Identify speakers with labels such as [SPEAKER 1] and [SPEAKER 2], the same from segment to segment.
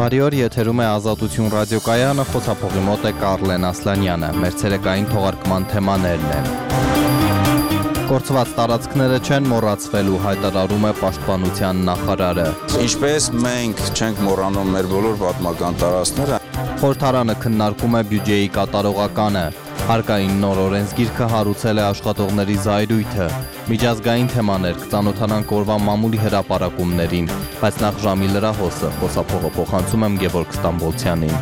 [SPEAKER 1] Բարի օր, եթերում է Ազատություն ռադիոկայանը, խոսափողի մոտ է Կարլեն Ասլանյանը, մեր ցերեկային թողարկման թեմաներն են։ Կորցված տարածքները չեն մոռացվելու, հայտարարում է Պաշտպանության նախարարը։
[SPEAKER 2] Ինչպես մենք չենք մոռանում մեր բոլոր պատմական տարածքները։
[SPEAKER 1] Խորհրդարանը քննարկում է բյուջեի կատարողականը։ Հարկային նոր օրենսգիրքը հարուցել է աշխատողների զայրույթը։ Միջազգային թեմաներ, կծանոթանանք օրվա մամուլի հրապարակումներին, բայց նախ ժամի լրահոսը, խոսափողը փոխանցում եմ Գևորգ Ստամբոլցյանին։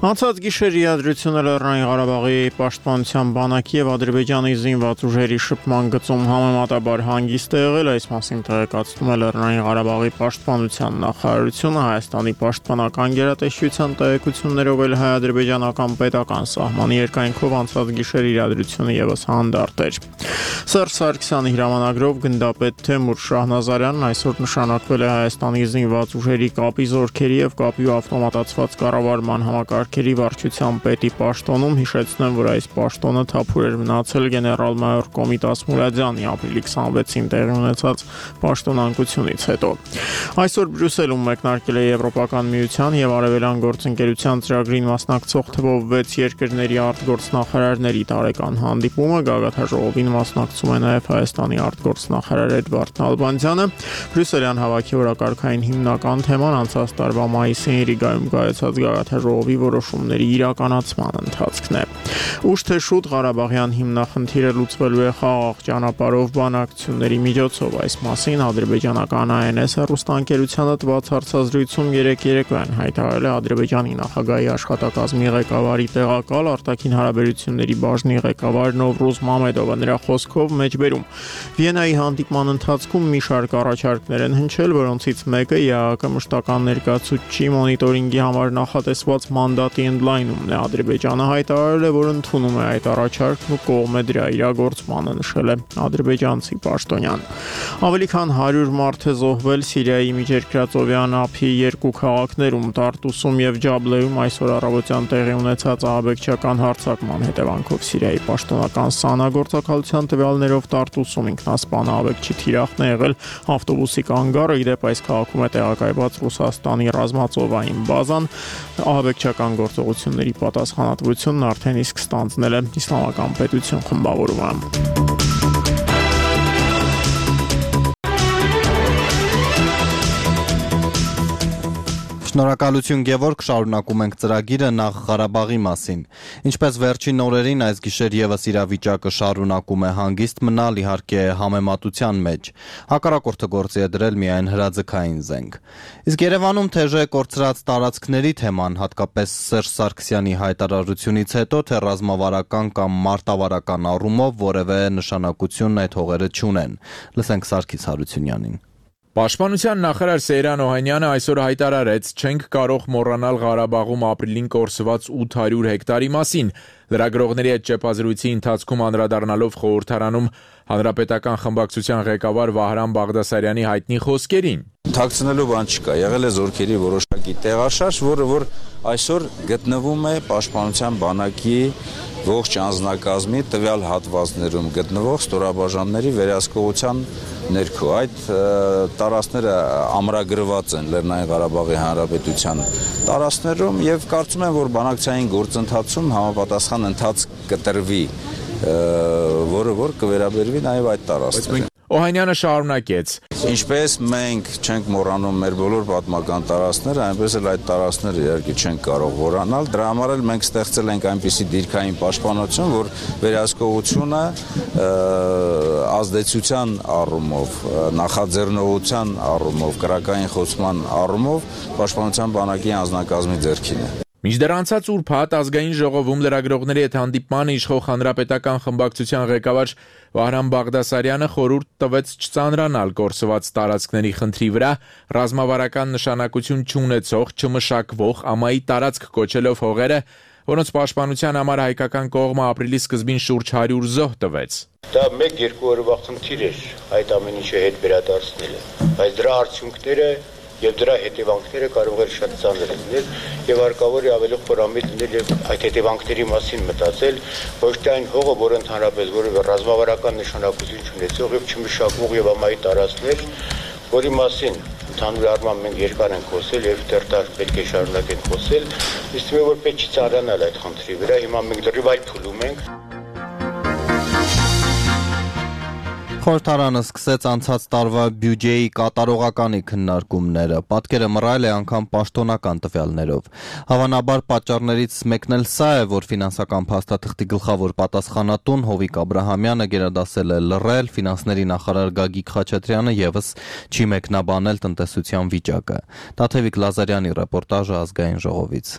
[SPEAKER 3] Անցած գիշեր իրադրությունը Լեռնային Ղարաբաղի պաշտպանության բանակի եւ Ադրբեջանի զինված ուժերի շփման գծում համեմատաբար հանգիստ է եղել, այս մասին տեղեկացնում է Լեռնային Ղարաբաղի պաշտպանության նախարարությունը, Հայաստանի պաշտպանական գերատեսչության տեղեկություններով էլ հայ-ադրբեջանական պետական սահմանի երկայնքով անցած գիշեր իրադրությունը եւս հանդարտ էր։ Սերժ Սարգսյանի հրամանագրով գնդապետ Թեմուր Շահնազարյանն այսօր նշանակվել է Հայաստանի զինված ուժերի կապի զորքերի եւ կապի ու ավտոմատացված կառավարման համակարգերի վարչության պետի պաշտոնում, հիշեցնեմ, որ այս պաշտոնը թափուր էր մնացել գեներալ-մայոր Կոմիտաս Մուրադյանի ապրիլի 26-ին տեղի ունեցած պաշտոնանկությունից հետո։ Այսօր Բրյուսելում մեկնարկել է Եվրոպական միության եւ Արևելյան գործընկերության ծրագրին մասնակցող թվով 6 երկրների արտգործնախարարների տարեկան հանդիպումը, գագաթաժողովին մասնակցում է նաեւ Հայաստանի արտգործնախարար Էդվարդ Նալբանդյանը։ Բրյուսելյան հավաքի օրակարգային հիմնական թեման անցած տարվա մայիսին Ռիգայում կայացած գագաթաժողովի որոշումների իրականացման ընթացքն է։ Ուշ թե շուտ Ղարաբաղյան հիմնախնդիրը լուծվելու է խաղաղ ճանապարհով բանակցությունների միջոցով, այս մասին ադրբեջանական ANS հեռուստաընկերությանը տված հարցազրույցում երեկոյան հայտարարել է Ադրբեջանի նախագահի աշխատակազմի ղեկավարի տեղակալ արտաքին հարաբերությունների բաժնի ղեկավար Նովրուզ Մամեդովը, նրա խոսքով մեջբերում Վիեննայի հանդիպման ընթացքում մի շարք առաջարկներ են հնչել, որոնցից մեկը ԵԱՀԿ մշտական ներկայացուցչի մոնիտորինգի համար նախատեսված մանդատի ընդլայնումն է։ Ադրբեջանը հայտարարել է, որ ընդունում է այդ առաջարկն ու կողմ է դրա իրագործմանը, նշել է ադրբեջանցի պաշտոնյան։ Ավելի քան 100 մարդ է զոհվել Սիրիայի Միջերկրածովյան ափի երկու քաղաքներում՝ Տարտուսում եւ Ջաբլեում այսօր առավոտյան տեղի ունեցած ահաբեկչական հարձակման հետևանքով։ Սիրիայի պաշտոնական ՍԱՆԱ գործակալության տվյալներով Տարտուսում ինքնասպան ահաբեկչի թիրախն է եղել ավտոբուսի կանգառը, իդեպ այս քաղաքում է տեղակայված Ռուսաստանի ռազմածովային բազան։ Ահաբեկչական գործողությունների պատասխանատվությունն արդեն իսկ ստանձնել է Իսլամական պետություն խմբավորումը։
[SPEAKER 1] Շնորհակալություն Գևորգ, շարունակում ենք ծրագիրը նախ Ղարաբաղի մասին։ Ինչպես վերջին օրերին այս գիշեր եւս իրավիճակը շարունակում է հանգիստ մնալ, իհարկե համեմատության մեջ։ Հակառակորդը գործի է դրել միայն հրաձգային զենք։ Իսկ Երևանում թեժ է կորցրած տարածքների թեման, հատկապես Սերժ Սարգսյանի հայտարարությունից հետո, թե ռազմավարական կամ մարտավարական առումով որևէ նշանակություն այդ հողերը չունեն։ Լսենք Սարգիս Հարությունյանին։
[SPEAKER 4] Պաշտպանության նախարար Սեյրան Օհանյանը այսօր հայտարարեց, չենք կարող մոռանալ Ղարաբաղում ապրիլին կորսված 800 հեկտարի մասին։ Լրագրողների հետ ճեպազրույցի ընթացքում անդրադառնալով խորհրդարանում հանրապետական խմբակցության ղեկավար Վահրամ Բաղդասարյանի հայտնի խոսքերին։
[SPEAKER 2] Թաքցնելու բան չկա, եղել է զորքերի որոշակի տեղաշարժ, որը այսօր գտնվում է պաշտպանության բանակի ողջ անձնակազմի տվյալ հատվածներում գտնվող ստորաբաժանների վերահսկողության ներքո։ Այդ տարածքները ամրագրված են Լեռնային Ղարաբաղի Հանրապետության տարածքներում եւ կարծում եմ, որ բանակցային գործընթացում համապատասխան ընթացք կտրվի, որը որ կվերաբերվի նաեւ այդ տարածքներին։
[SPEAKER 4] Օհանյանը շարունակեց.
[SPEAKER 2] Ինչպես մենք չենք մոռանում մեր բոլոր պատմական տարածքները, այնպես էլ այդ տարածքները իհարկե չենք կարող մոռանալ։ Դրա համար էլ մենք ստեղծել ենք այնպիսի դիրքային պաշտպանություն, որ վերահսկողությունը ազդեցության առումով, նախաձեռնողության առումով, կրակային խոցման առումով պաշտպանության բանակի անձնակազմի ձեռքին է։
[SPEAKER 4] Մինչդեռ անցած ուրբաթ ազգային ժողովում լրագրողների հետ հանդիպմանը իշխող հանրապետական խմբակցության ղեկավար Վահրամ Բաղդասարյանը խորհուրդ տվեց չծանրանալ կորսված տարածքների խնդրի վրա, ռազմավարական նշանակություն չունեցող, չմշակվող ամայի տարածք կոչելով հողերը, որոնց պաշտպանության համար հայկական կողմը ապրիլի սկզբին շուրջ 100 զոհ տվեց։
[SPEAKER 5] Դա 1-2 օրվա խնդիր էր այդ ամեն ինչը հետ վերադարձնելը, բայց դրա արդյունքները եւ դրա հետևանքները կարող է շատ ծանր լինել եւ հարկավոր է ավելի խորամիտ լինել եւ այդ հետևանքների մասին մտածել, ոչ թե այն հողը, որը ընդհանրապես որևէ ռազմավարական նշանակություն չունեցող եւ չմշակող եւ ամայի տարածքներ, որի մասին ընդհանուր առմամբ մենք երկար ենք խոսել եւ դեռ պետք է շարունակենք խոսել, իսկ մենք որ պետք չի ծանրանալ այդ խնդրի վրա, հիմա մենք դեռ այլ փուլում ենք։
[SPEAKER 1] Խորհրդարանը սկսեց անցած տարվա բյուջեի կատարողականի քննարկումները, պատկերը մռայլ է անգամ պաշտոնական տվյալներով։ Հավանաբար պատճառներից մեկն էլ սա է, որ ֆինանսական փաստաթղթի գլխավոր պատասխանատուն Հովիկ Աբրահամյանը գերադասել է լռել, ֆինանսների նախարար Գագիկ Խաչատրյանը եւս չի մեկնաբանել տնտեսության վիճակը։ Տաթևիկ Լազարյանի ռեպորտաժը Ազգային ժողովից։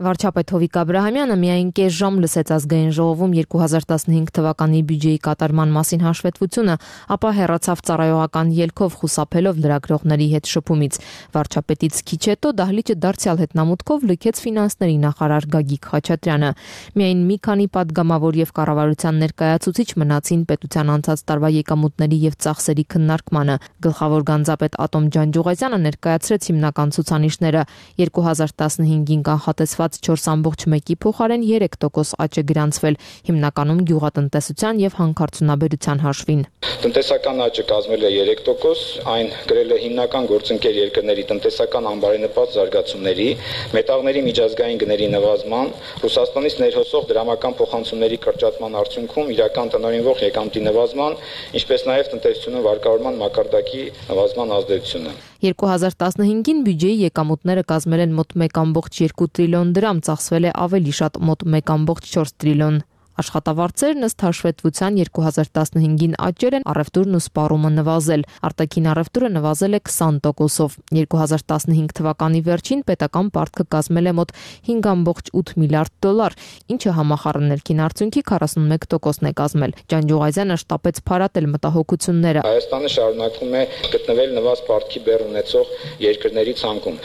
[SPEAKER 6] Վարչապետ Հովիկ Աբրահամյանը միայն կես ժամ լսեց Ազգային ժողովում 2015 թվականի բյուջեի կատարման մասին հաշվետվությունը, ապա հեռացավ ծառայողական ելքով խուսափելով լրագրողների հետ շփումից։ Վարչապետից քիչ հետո դահլիճը դարձյալ հետնամուտքով լքեց ֆինանսների նախարար Գագիկ Խաչատրյանը։ Միայն մի քանի падգամավոր եւ կառավարության ներկայացուցիչ մնացին պետության անցած տարվա եկամուտների եւ ծախսերի քննարկմանը։ Գլխավոր գանձապետ Ատոմ Ջանջուղազյանը ներկայացրեց հիմնական ցուցանիշները 2015-ին կանխատեսված 4.1-ի փոխարեն 3% աճ է գրանցվել, հիմնականում գյուղատնտեսության եւ հանքարդյունաբերության հաշվին։
[SPEAKER 7] Տնտեսական աճը կազմել է 3%, այն գրել է հիմնական գործընկեր երկրների տնտեսական անբարենպաստ զարգացումների, մետաղների միջազգային գների նվազման, Ռուսաստանից ներհոսող դրամական փոխանցումների կրճատման արդյունքում իրական տնօրինվող եկամտի նվազման, ինչպես նաեւ տնտեսությունը վարկավորման մակարդակի նվազման ազդեցությունը։
[SPEAKER 6] 2015-ին բյուջեի եկամուտները կազմել են մոտ 1.2 տրիլիոն դրամ, ծախսվել է ավելի շատ մոտ 1.4 տրիլիոն։ Աշխատավարձերն ըստ հաշվետվության 2015-ին աճել են, առևտուրն ու սպառումը նվազել։ Արտաքին առևտուրը նվազել է 20%-ով։ 2015 թվականի վերջին պետական պարտքը կազմել է մոտ 5.8 միլիարդ դոլար, ինչը համախառն ներքին արդյունքի 41%-ն է կազմել։ Ջանջուղազյանը շտապեց փարատել մտահոգությունները։
[SPEAKER 7] Հայաստանը շարունակում է գտնվել նվազ պարտքի բեռ ունեցող երկրների ցանկում։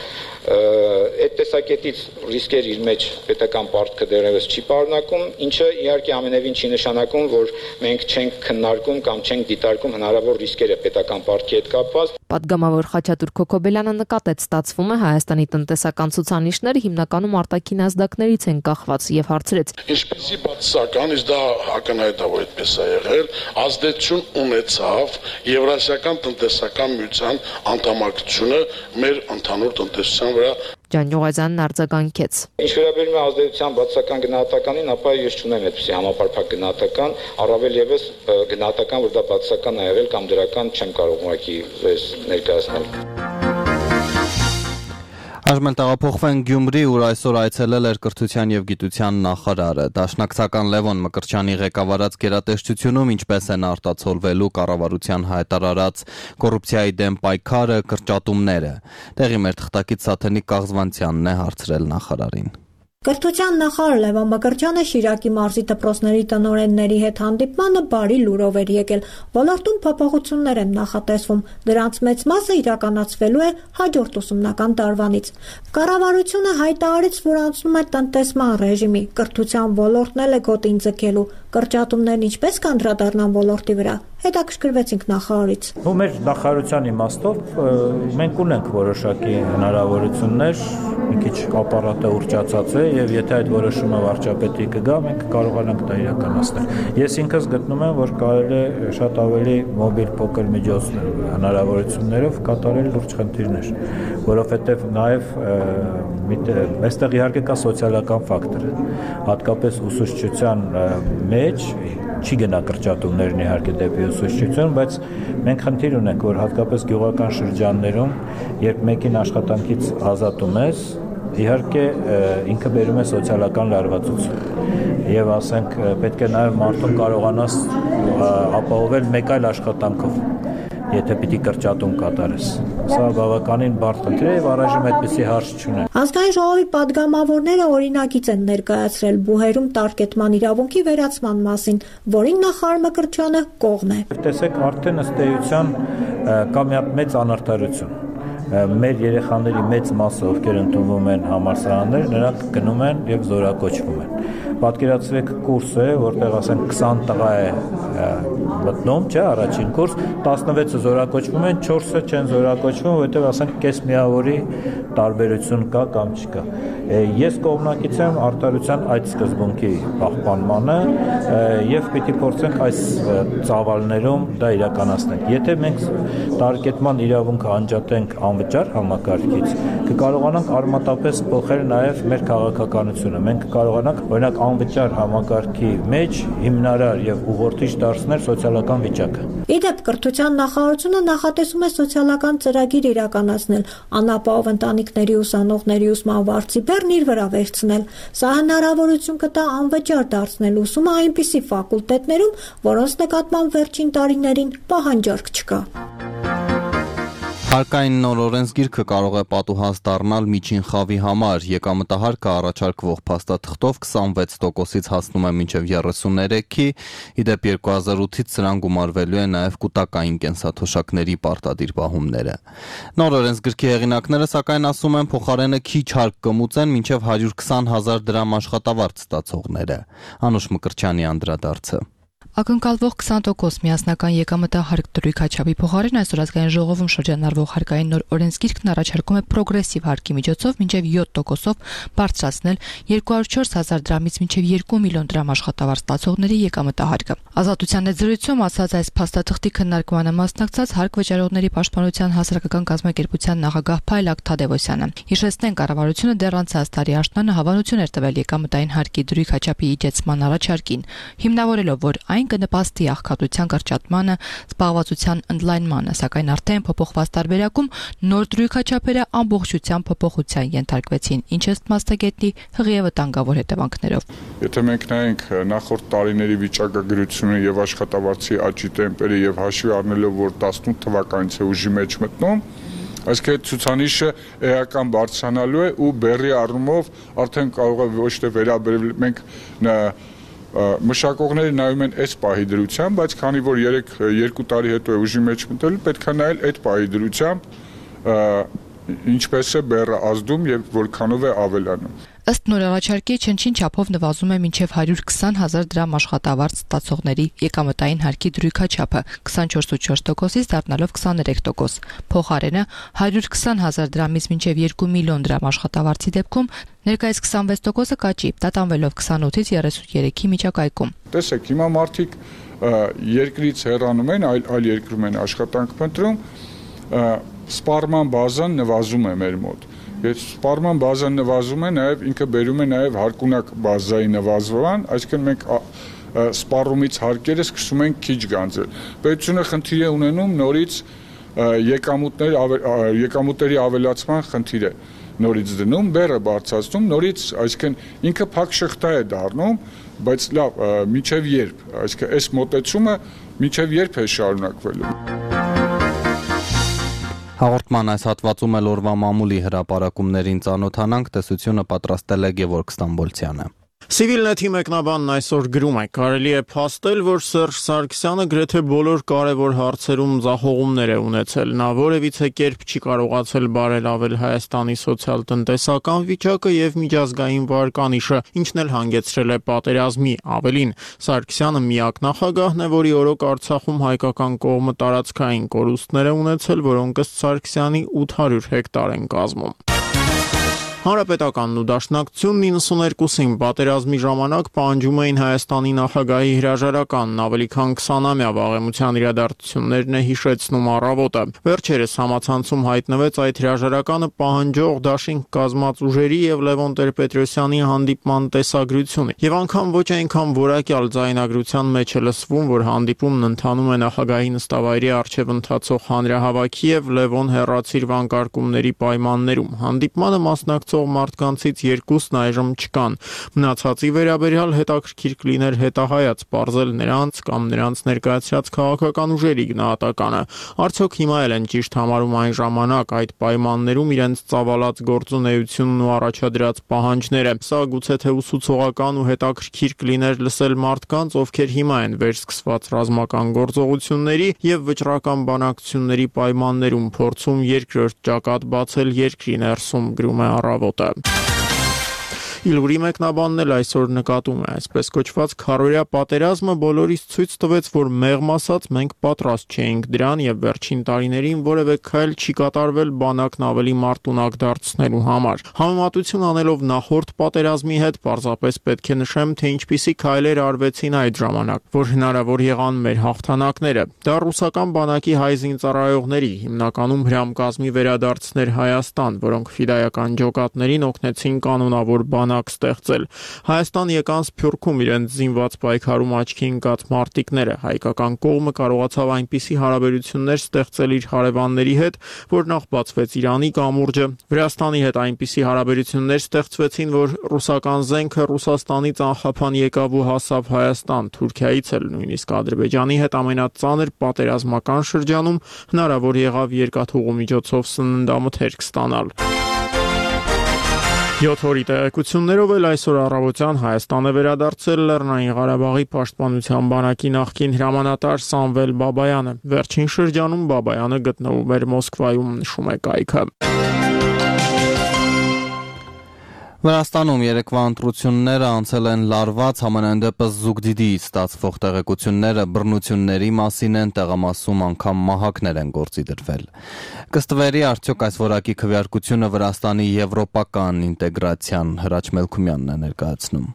[SPEAKER 7] Այդ տեսակետից ռիսկեր իր մեջ պետական պարտքը դեռևս չի պարունակում, ինչը իհարկե ամենևին չի նշանակում, որ մենք չենք քննարկում կամ չենք դիտարկում հնարավոր ռիսկերը պետական պարտքի հետ կապված։
[SPEAKER 6] Պատգամավոր Խաչատուր Քոքոբելյանը նկատեց, ստացվում է Հայաստանի տնտեսական ցուցանիշները հիմնականում արտաքին ազդակներից են կախված եւ հարցրեց.
[SPEAKER 8] Ինչպեսի բացասական, իսկ դա ակնհայտ է, որ այդպես է եղել, ազդեցություն ունեցավ Եվրասիական տնտեսական միության անդամակցությունը մեր ընդհանուր տնտեսության վրա։
[SPEAKER 6] Ջանջուղազյանն արձագանքեց.
[SPEAKER 7] Ինչ վերաբերում է ազդեցության բացասական գնահատականին, ապա ես չունեմ այդպիսի համապարփակ գնահատական, առավել եւս գնահատական, որ դա բացասական է եղել կամ դրական չեմ կարող ուղղակի ներկայացնել։
[SPEAKER 1] Այժմ տեղափոխվենք Գյումրի, ուր այսօր այցելել էր կրթության եւ գիտության նախարարը։ Դաշնակցական Լևոն Մկրտչյանի ղեկավարած գերատեսչությունում ինչպես են արտացոլվելու կառավարության հայտարարած կոռուպցիայի դեմ պայքարը, կրճատումները։ Տեղի մեր թղթակից Սաթենիկ Կաղզվանցյանն է հարցրել նախարարին։
[SPEAKER 9] Կրթության նախարար Լևոն Մկրտչյանը Շիրակի մարզի դպրոցների տնօրենների հետ հանդիպմանը բարի լուրով էր եկել։ Ոլորտում փոփոխություններ են նախատեսվում, դրանց մեծ մասը իրականացվելու է հաջորդ ուսումնական տարվանից։ Կառավարությունը հայտարարեց, որ անցնում է տնտեսման ռեժիմի, կրթության ոլորտն էլ է գոտին ձգելու։ Կրճատումներն ինչպես կանդրադառնան ոլորտի վրա։ Հետաքրքրվեցինք նախարարից։
[SPEAKER 10] Մեր նախարարության իմաստով մենք ունենք որոշակի հնարավորություններ, մի քիչ ապարատը ուռճացած է եւ եթե այդ որոշումը վարչապետի կգա, մենք կարողանանք դա իրականացնել։ Ես ինքս գտնում եմ, որ կարելի է շատ ավելի մոբիլ փոքր միջոցներ հնարավորություններով կատարել լուրջ խնդիրներ, որովհետեւ նաեւ այստեղ իհարկե կա սոցիալական ֆակտոր, հատկապես ուսուցչության մեջ չի գնա կրճատումներն իհարկե դեպի ուսուցչություն, բայց մենք խնդիր ունենք, որ հատկապես գյուղական շրջաններում, երբ մեկին աշխատանքից ազատում ես, իհարկե ինքը բերում է սոցիալական լարվածություն եւ ասենք պետք է նաեւ մարդուն կարողանաս ապահովել մեկ այլ աշխատանքով, եթե պիտի կրճատում կատարես։ Սա բավականին բարդ խնդիր է եւ առայժմ այդպիսի հարց չունեն։
[SPEAKER 9] Ազգային ժողովի падգամավորները օրինագիծ են ներկայացրել բուհերում տարկետման իրավունքի վերացման մասին, որին նախարար Մկրտչյանը կողմ է։
[SPEAKER 10] Տեսեք, արդեն ըստ էության կա մի հատ մեծ անարդարություն։ մեր երեխաների մեծ մասը, ովքեր ընդունվում են համալսարաններ, նրանք գնում են եւ զորակոչվում են։ Պատկերացրեք կուրս է, որտեղ ասենք 20 տղա է մտնում, չէ, առաջին կուրս, 16-ը զորակոչվում են, 4-ը չեն զորակոչվում, որովհետեւ ասենք կես միավորի տարբերություն կա կամ չկա։ Ես կողմնակից եմ արտարության այդ սկզբունքի պահպանմանը եւ պիտի փորձենք այս ծավալներում դա իրականացնել։ Եթե մենք տարեկետման իրավունքը անջատենք անվճար համակարգից, կկարողանանք արմատապես փոխել նաեւ մեր քաղաքականությունը։ Մենք կկարողանանք օրինակ անվճար համակարգի մեջ հիմնարար եւ ուղղորդիչ դարձնել սոցիալական վիճակը։
[SPEAKER 9] Իդեպ կրթության նախարարությունը նախատեսում է սոցիալական ծրագիր իրականացնել, անապահով ընտանիքների ուսանողների ուսման վարձի բեռն իր վրա վերցնել։ Սա հնարավորություն կտա անվճար դարձնել ուսումը այնպիսի ֆակուլտետներում, որոնց նկատմամբ վերջին տարիներին պահանջարկ չկա։
[SPEAKER 1] Հարկային նոր օրենսգիրքը կարող է պատուհաս դառնալ միջին խավի համար։ Եկամտահարկը առաջարկվող փաստաթղթով 26%-ից հասնում է մինչև 33-ի, իդեպ 2008-ից սրան գումարվելու է նաև կուտակային կենսաթոշակների պարտադիր պահումները։ Նոր օրենսգրքի հեղինակները սակայն ասում են փոխարենը քիչ հարկ կմուծեն մինչև 120,000 դրամ աշխատավարձ ստացողները։ Անուշ Մկրտչյանի անդրադարձը։
[SPEAKER 11] Ակնկալվող 20% միասնական եկամտահարկ դրույք աչափի փոխարեն այսօր ազգային ժողովում շրջանառվող հարկային նոր օրենսգիրքն առաջարկում է պրոգրեսիվ հարկի միջոցով մինչև 7%-ով բարձրացնել 204,000 դրամից մինչև 2 միլիոն դրամ աշխատավարձ ստացողների եկամտահարկը։ Ազատության հետ զրույցում ասաց այս փաստաթղթի քննարկմանը մասնակցած Հարկ վճարողների պաշտպանության հասարակական կազմակերպության նախագահ Փայլակ Թադևոսյանը։ Հիշեցնենք, կառավարությունը դեռ անցած տարի աշնանը հավանություն էր տվել եկամտային հարկի դրույք աչափի իջեցման առաջարկին, հիմնավորելով, որ այն կնպաստի աղքատության կրճատմանը, զբաղվածության ընդլայնմանը, սակայն արդեն փոփոխված տարբերակում նոր դրույքաչափերը ամբողջությամբ փոփոխության ենթարկվեցին, ինչը ըստ մասնագետի հղի է վտանգավոր հետևանքներով։
[SPEAKER 12] Եթե մենք նայենք նախորդ տարիների վիճակագրությունը եւ աշխատավարձի աճի տեմպերը եւ հաշվի առնելով, որ 18 թվականից է ուժի մեջ մտնում, այսինքն ցուցանիշը էական բարձրանալու է ու բեռի առումով արդեն կարող է ոչ թե վերաբերել մենք մշակողները նայում են այս պահի դրությամբ, բայց քանի որ 2 տարի հետո է ուժի մեջ մտել, պետք է նայել այդ պահի դրությամբ ինչպես է բեռը ազդում եւ որքանով է ավելանում։
[SPEAKER 11] Ըստ նոր առաջարկի չնչին չափով նվազում է մինչև 120,000 դրամ աշխատավարձ ստացողների եկամտային հարկի դրույքաչափը 24.4%-ից դառնալով 23%։ Փոխարենը 120,000 դրամից մինչև 2 միլիոն դրամ աշխատավարձի դեպքում ներկայիս 26%-ը կաճի, տատանվելով 28-ից 33-ի միջակայքում։
[SPEAKER 12] Տեսեք, հիմա մարդիկ երկրից հեռանում են, այլ երկրում են աշխատանք փնտրում, սպառման բազան նվազում է մեր մոտ։ Եթե սպառման բազան նվազում է, նաև ինքը բերում է նաև հարկունակ բազայի նվազվան, այսինքն մենք սպառումից հարկերը սկսում ենք քիչ գանձել։ Պետությունը խնդիր է ունենում նորից եկամուտների ավելացման խնդիր է նորից դնում, բեռը բարձրացնում, նորից, այսինքն ինքը փակ շղթա է դառնում, բայց լավ, մինչև երբ, այսինքն այս մոտեցումը մինչև երբ է շարունակվելու։
[SPEAKER 1] Հաղորդման այս հատվածում էլ օրվա մամուլի հրապարակումներին ծանոթանանք, տեսությունը պատրաստել է Գևորգ Ստամբոլցյանը։
[SPEAKER 3] Civilnet-ի մեկնաբանն այսօր գրում է. կարելի է փաստել, որ Սերժ Սարգսյանը գրեթե բոլոր կարևոր հարցերում ձախողումներ է ունեցել։ Նա որևիցե կերպ չի կարողացել բարելավել Հայաստանի սոցիալ-տնտեսական վիճակը եւ միջազգային վարկանիշը, ինչն էլ հանգեցրել է պատերազմի։ Ավելին, Սարգսյանը միակ նախագահն է, որի օրոք Արցախում հայկական կողմը տարածքային կորուստներ է ունեցել, որոնք ըստ Սարգսյանի 800 հեկտար են կազմում։ Հանրապետականն ու Դաշնակցությունն 92-ին պատերազմի ժամանակ պահանջում էին Հայաստանի նախագահի հրաժարականն, ավելի քան 20-ամյա վաղեմության իրադարձություններն է հիշեցնում առավոտը։ Վերջերս համացանցում հայտնվեց այդ հրաժարականը պահանջող դաշինք կազմած ուժերի եւ Լևոն Տեր-Պետրոսյանի հանդիպման տեսագրությունը։ Եվ անգամ ոչ այնքան որակյալ ձայնագրության մեջ է լսվում, որ հանդիպումն ընթանում է նախագահի նստավայրի առջև ընթացող հանրահավաքի եւ Լևոն հեռացիր վանկարկումների պայմաններում։ Հանդիպմանը մասնակցող միջոցով մարդկանցից 2-ն այժմ չկան։ Մնացածի վերաբերյալ հետաքրքիր կլիներ հետահայաց բարձել նրանց կամ նրանց ներկայացրած քաղաքական ուժերի գնահատականը։ Արդյոք հիմա էլ են ճիշտ համարում այն ժամանակ այդ պայմաններում իրենց ծավալած գործունեությունն ու առաջադրած պահանջները։ Սա գուցե թե ուսուցողական ու հետաքրքիր կլիներ լսել մարդկանց, ովքեր հիմա են վերսկսված ռազմական գործողությունների եւ վճռական բանակցությունների պայմաններում փորձում երկրորդ ճակատ բացել երկրի ներսում, գրում է Առավոտը։ Իլուրի մեկնաբանն էլ այսօր նկատում է, այսպես կոչված քարորյա պատերազմը բոլորիս ցույց տվեց, որ մեղմ ասած մենք պատրաստ չէինք դրան եւ վերջին տարիներին որևէ քայլ չի կատարվել բանակն ավելի մարտունակ դարձնելու համար։ Համեմատություն անելով նախորդ պատերազմի հետ, պարզապես պետք է նշեմ, թե ինչպիսի քայլեր արվեցին այդ ժամանակ, որ հնարավոր եղան մեր հաղթանակները։ Դա ռուսական բանակի հայ զինծառայողների, հիմնականում հրամկազմի վերադարձներ Հայաստան, որոնք ֆիդայական ջոկատներին օգնեցին կանոնավոր բանակ ստեղծել։ Հայաստան եկան Սփյուռքում իրենց զինված պայքարում աչքի ընկած մարտիկները։ Հայկական կողմը կարողացավ այնպիսի հարաբերություններ ստեղծել իր հարևանների հետ, որ նախ բացվեց Իրանի կամուրջը, Վրաստանի հետ այնպիսի հարաբերություններ ստեղծվեցին, որ ռուսական զենքը Ռուսաստանից անխափան եկավ ու հասավ Հայաստան, Թուրքիայից էլ նույնիսկ Ադրբեջանի հետ ամենածանր պատերազմական շրջանում հնարավոր եղավ երկաթուղու միջոցով սննդամթերք ստանալ։ 7 օրի տեղեկություններով էլ այսօր առավոտյան Հայաստան է վերադարձել Լեռնային Ղարաբաղի պաշտպանության բանակի նախկին հրամանատար Սամվել Բաբայանը։ Վերջին շրջանում Բաբայանը գտնվում էր Մոսկվայում, նշում է կայքը։
[SPEAKER 1] Վրաստանում երեկվա ընտրությունները անցել են լարված, համենայն դեպս Զուգդիդիից ստացվող տեղեկությունները բռնությունների մասին են, տեղամասում անգամ մահակներ են գործի դրվել։ Կստվերի արդյոք այս որակի քվեարկությունը Վրաստանի եվրոպական ինտեգրացիան, Հրաչ Մելքումյանն է ներկայացնում։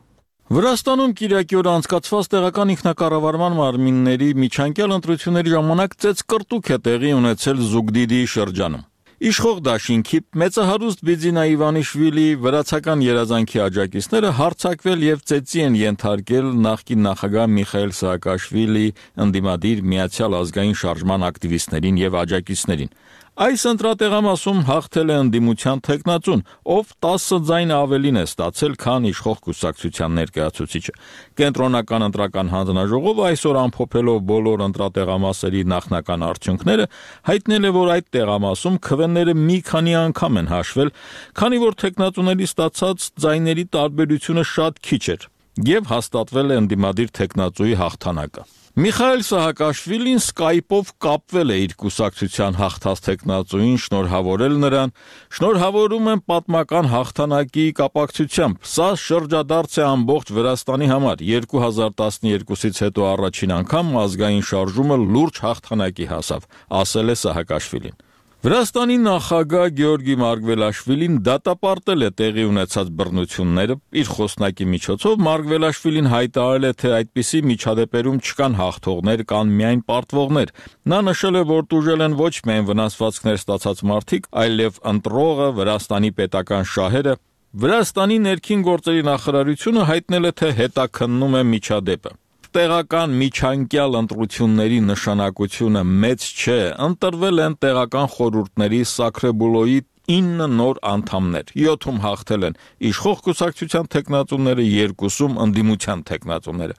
[SPEAKER 13] Վրաստանում կիրակի օր անցկացված տեղական ինքնակառավարման մարմինների միջանկյալ ընտրությունների ժամանակ ծեծկռտուք է տեղի ունեցել Զուգդիդիի շրջանում։ Իշխող դաշինքի մեծահարուստ Բիձինա Իվանիշվիլի վրացական երազանքի աջակիցները հարձակվել եւ ծեծի են ենթարկել նախկին նախագահ Միխայել Սաակաշվիլի ընդդիմադիր Միացյալ ազգային շարժման ակտիվիստներին եւ աջակիցներին։ Այս ընտրատեղամասում հաղթել է ընդդիմության թեկնածուն, ով 10 ձայն ավելին է ստացել, քան իշխող կուսակցության ներկայացուցիչը։ Կենտրոնական ընտրական հանձնաժողովը այսօր ամփոփելով բոլոր ընտրատեղամասերի նախնական արդյունքները հայտնել է, որ այդ տեղամասում քվեները մի քանի անգամ են հաշվել, քանի որ թեկնածուների ստացած ձայների տարբերությունը շատ քիչ էր, եւ հաստատվել է ընդդիմադիր թեկնածուի հաղթանակը։ Միխայել Սահակաշվիլին սկայպով կապվել է իր կուսակցության հաղթած թեկնածուին, շնորհավորել նրան, շնորհավորում եմ պատմական հաղթանակի կապակցությամբ։ Սա շրջադարձ է ամբողջ Վրաստանի համար։ 2012-ից հետո առաջին անգամ ազգային շարժումը լուրջ հաղթանակի հասավ, ասել է Սահակաշվիլին։ Վրաստանի նախագահ Գեորգի Մարգվելաշվիլին դատապարտել է տեղի ունեցած բռնությունները։ Իր խոսնակի միջոցով Մարգվելաշվիլին հայտարարել է, թե այդպիսի միջադեպերում չկան հաղթողներ, կան միայն պարտվողներ։ Նա նշել է, որ տուժել են ոչ միայն վնասվածքներ ստացած մարդիկ, այլև ընտրողը, Վրաստանի պետական շահերը։ Վրաստանի ներքին գործերի նախարարությունը հայտնել է, թե հետաքննում է միջադեպը։ Տեղական միջանկյալ ընտրությունների նշանակությունը մեծ չէ, ընտրվել են տեղական խորհուրդների Սակրեբուլոյի 9 նոր անդամներ, 7-ում հաղթել են իշխող կուսակցության թեկնածուները, 2-ում ընդդիմության թեկնածուները,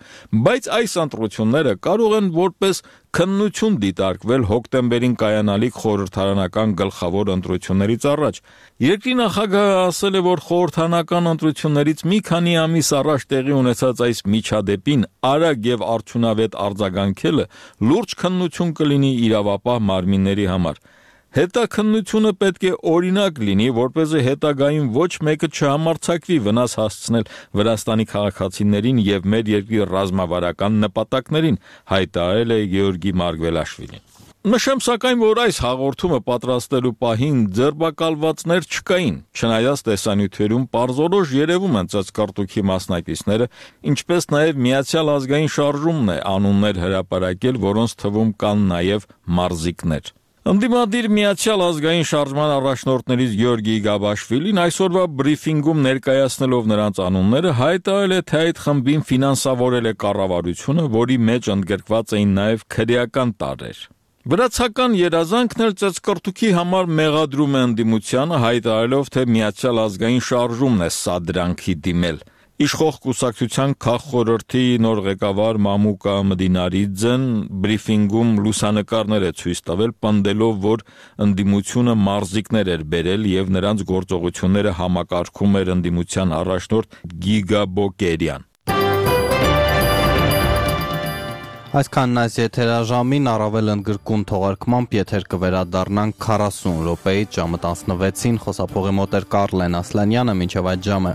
[SPEAKER 13] բայց այս ընտրությունները կարող են որպես քննություն դիտարկվել հոկտեմբերին կայանալիք խորհրդարանական գլխավոր ընտրություններից առաջ։ Երկրի նախագահը ասել է, որ խորհրդարանական ընտրություններից մի քանի ամիս առաջ տեղի ունեցած այս միջադեպին արագ եւ արդյունավետ արձագանքելը լուրջ քննություն կլինի իրավապահ մարմինների համար։ Հետաքննությունը պետք է օրինակ լինի, որպեսզի հետագայում ոչ մեկը չհամարձակվի վնաս հասցնել Վրաստանի քաղաքացիներին եւ մեր երկրի ռազմավարական նպատակներին, հայտարարել է Գեորգի Մարգվելաշվիլին։ Նշեմ սակայն, որ այս հաղորդումը պատրաստելու պահին ձերբակալվածներ չկային, չնայած տեսանյութերում պարզորոշ երևում են ծեծկռտուքի մասնակիցները, ինչպես նաեւ Միացյալ ազգային շարժումն է անուններ հրապարակել, որոնց թվում կան նաեւ մարզիկներ։ Ընդդիմադիր Միացյալ ազգային շարժման առաջնորդներից Գեորգի Գաբաշվիլին այսօրվա բրիֆինգում ներկայացնելով նրանց անունները հայտարարել է, թե այդ խմբին ֆինանսավորել է կառավարությունը, որի մեջ ընդգրկված էին նաև քրեական տարրեր։ Վրացական երազանքն էլ ծեծկռտուքի համար մեղադրում է ընդդիմությանը, հայտարարելով, թե Միացյալ ազգային շարժումն է սա դրանքի դիմել։ Իշխող կուսակցության քաղխորհրդի նոր ղեկավար Մամուկա Մդինարիձեն բրիֆինգում լուսանկարներ է ցույց տվել, պնդելով, որ ընդդիմությունը մարզիկներ էր բերել եւ նրանց գործողությունները համակարգում էր ընդդիմության առաջնորդ Գիգա Բոկերյան։
[SPEAKER 1] Այսքանն այս եթերաժամին առավել ընդգրկուն թողարկմամբ եթեր կվերադառնանք 40 րոպեից ժամը 16-ին, խոսափողի մոտ էր Կարլեն Ասլանյանը, մինչև այդ ժամը